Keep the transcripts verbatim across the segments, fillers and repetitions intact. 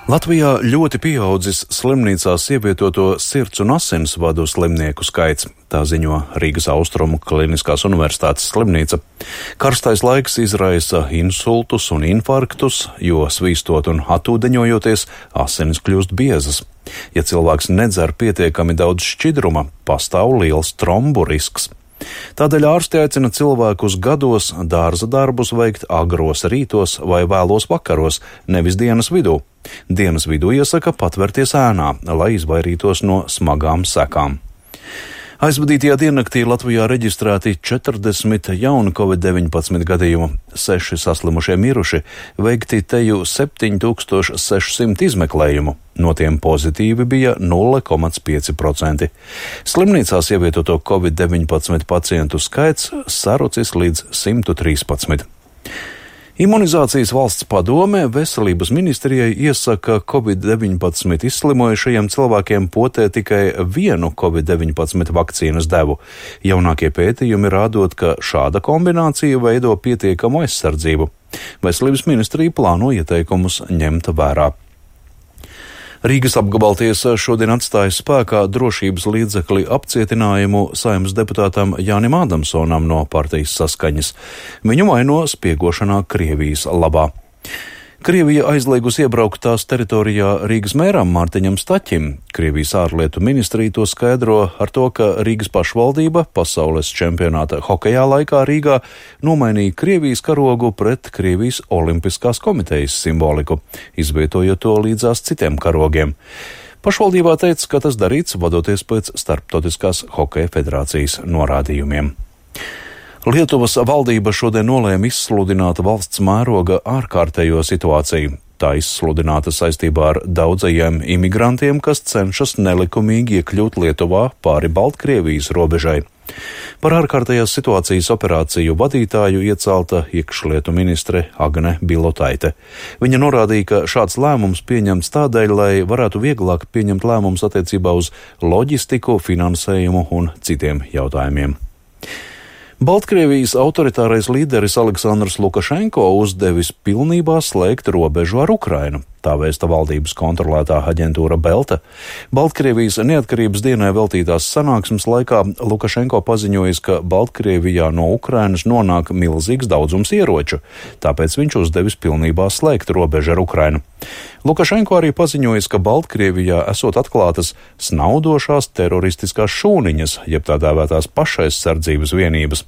Latvijā ļoti pieaudzis slimnīcās ievietoto sirds un asinsvadu slimnieku skaits, tā ziņo Rīgas Austrumu Kliniskās universitātes slimnīca. Karstais laiks izraisa insultus un infarktus, jo svīstot un atūdeņojoties, asinis kļūst biezas. Ja cilvēks nedzer pietiekami daudz šķidruma, pastāv liels trombu risks. Tādēļ ārsti aicina cilvēkus gados dārza darbus veikt agros rītos vai vēlos vakaros, nevis dienas vidū. Dienas vidū iesaka patvērties ēnā, lai izvairītos no smagām sekām. Aizvadītajā diennaktī Latvijā reģistrēti četrdesmit jauni covid deviņpadsmit gadījumu, seši saslimušie miruši, veikti teju septiņi tūkstoši seši simti izmeklējumu, no tiem pozitīvi bija nulle komats pieci procenti. Slimnīcās ievietoto covid deviņpadsmit pacientu skaits sarucis līdz simt trīspadsmit. Imunizācijas valsts padome Veselības ministrijai iesaka covid deviņpadsmit izslimojušajiem cilvēkiem potēt tikai vienu covid deviņpadsmit vakcīnas devu. Jaunākie pētījumi rādot, ka šāda kombinācija veido pietiekamu aizsardzību. Veselības ministrija plāno ieteikumus ņemt vērā. Rīgas apgabaltiesa šodien atstāja spēkā drošības līdzekļu apcietinājumu Saeimas deputātam Jānim Ādamsonam no partijas Saskaņas. Viņu vaino spiegošanā Krievijas labā. Krievija aizliegus iebraukt tās teritorijā Rīgas mēram Mārtiņam Staķim. Krievijas ārlietu ministrija to skaidro ar to, ka Rīgas pašvaldība pasaules čempionāta hokejā laikā Rīgā nomainīja Krievijas karogu pret Krievijas olimpiskās komitejas simboliku, izvietojot to līdzās citiem karogiem. Pašvaldībā teica, ka tas darīts vadoties pēc Starptautiskās hokeja federācijas norādījumiem. Lietuvas valdība šodien nolēma izsludināt valsts mēroga ārkārtējo situāciju. Tā izsludināta saistībā ar daudzajiem imigrantiem, kas cenšas nelikumīgi iekļūt Lietuvā pāri Baltkrievijas robežai. Par ārkārtējās situācijas operāciju vadītāju iecelta iekšlietu ministre Agne Bilotaite. Viņa norādīja, ka šāds lēmums pieņemts tādēļ, lai varētu vieglāk pieņemt lēmumus attiecībā uz loģistiku, finansējumu un citiem jautājumiem. Baltkrievijas autoritārais līderis Aleksandrs Lukašenko uzdevis pilnībā slēgt robežu ar Ukrainu. Tā vēsta valdības kontrolētā aģentūra Belta. Baltkrievijas neatkarības dienai veltītās sanāksmes laikā Lukašenko paziņojis, ka Baltkrievijā no Ukrainas nonāk milzīgs daudzums ieroču, tāpēc viņš uzdevis pilnībā slēgt robežu ar Ukrainu. Lukašenko arī paziņojis, ka Baltkrievijā esot atklātas snaudošās teroristiskās šūniņas, jeb tā dēvētās pašaizsardzības vienības.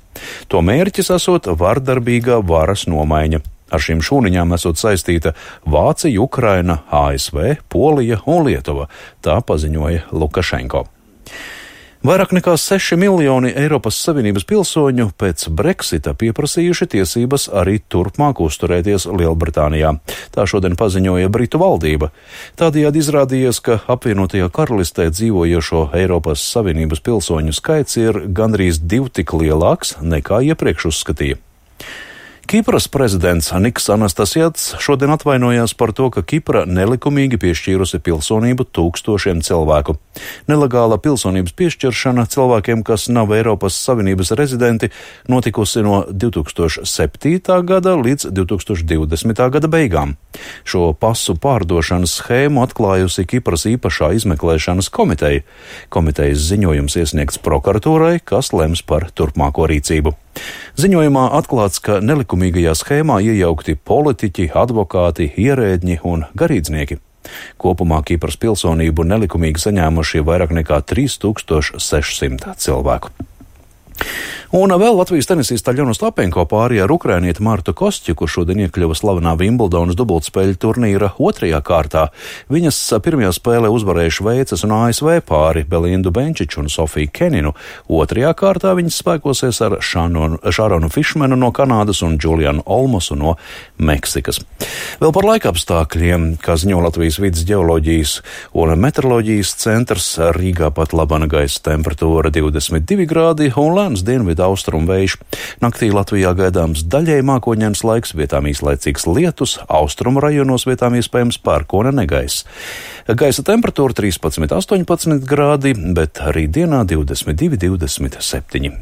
To mērķis esot vardarbīga varas nomaiņa. Ar šīm šūniņām esot saistīta Vācija, Ukraina, A S V, Polija un Lietuva, tā paziņoja Lukašenko. Vairāk nekā seši miljoni Eiropas Savienības pilsoņu pēc Brexita pieprasījuši tiesības arī turpmāk uzturēties Lielbritānijā. Tā šodien paziņoja Britu valdība. Tādējādi izrādījies, ka apvienotajā karalistē dzīvojošo Eiropas Savienības pilsoņu skaits ir gandrīz divi tik lielāks nekā iepriekš uzskatīja. Kipras prezidents Niks Anastasjats šodien atvainojās par to, ka Kipra nelikumīgi piešķīrusi pilsonību tūkstošiem cilvēku. Nelegāla pilsonības piešķiršana cilvēkiem, kas nav Eiropas Savienības rezidenti, notikusi no divi tūkstoši septītā gada līdz divi tūkstoši divdesmitā gada beigām. Šo pasu pārdošanas schēmu atklājusi Kipras īpašā izmeklēšanas komiteja. Komitejas ziņojums iesniegts prokuratūrai, kas lems par turpmāko rīcību. Ziņojumā atklāts, ka nelikumīgajā schēmā iejaukti politiķi, advokāti, ierēdņi un garīdznieki. Kopumā Kipras pilsonību nelikumīgi saņēmuši vairāk nekā trīs tūkstoši seši simti cilvēku. Un vēl Latvijas tenisista Aļona Ostapenko pāri ar ukrainieti Martu Kostjuku šodien iekļuva slavenā Vimbuldonas dubultspēļu turnīra otrajā kārtā. Viņas pirmajā spēlē uzvarēja Šveices un A S V pāri Belindu Benčiču un Sofiju Keninu. Otrajā kārtā viņas spēkosies ar Šaronu Fišmenu no Kanādas un Džulianu Olmosu no Meksikas. Vēl par laikapstākļiem, kā ziņo Latvijas vides ģeoloģijas un meteoroloģijas centrs, Rīgā pat labana gaisa temperatūra divdesmit divi grādi un lēns dienvidu austrumu vējš. Naktī Latvijā gaidāms daļēji mākoņdienas laiks, vietām īslaicīgs lietus, austrumu rajonos vietām iespējams pērkona negaiss. Gaisa temperatūra trīspadsmit astoņpadsmit grādi, bet arī dienā divdesmit divi divdesmit septiņi.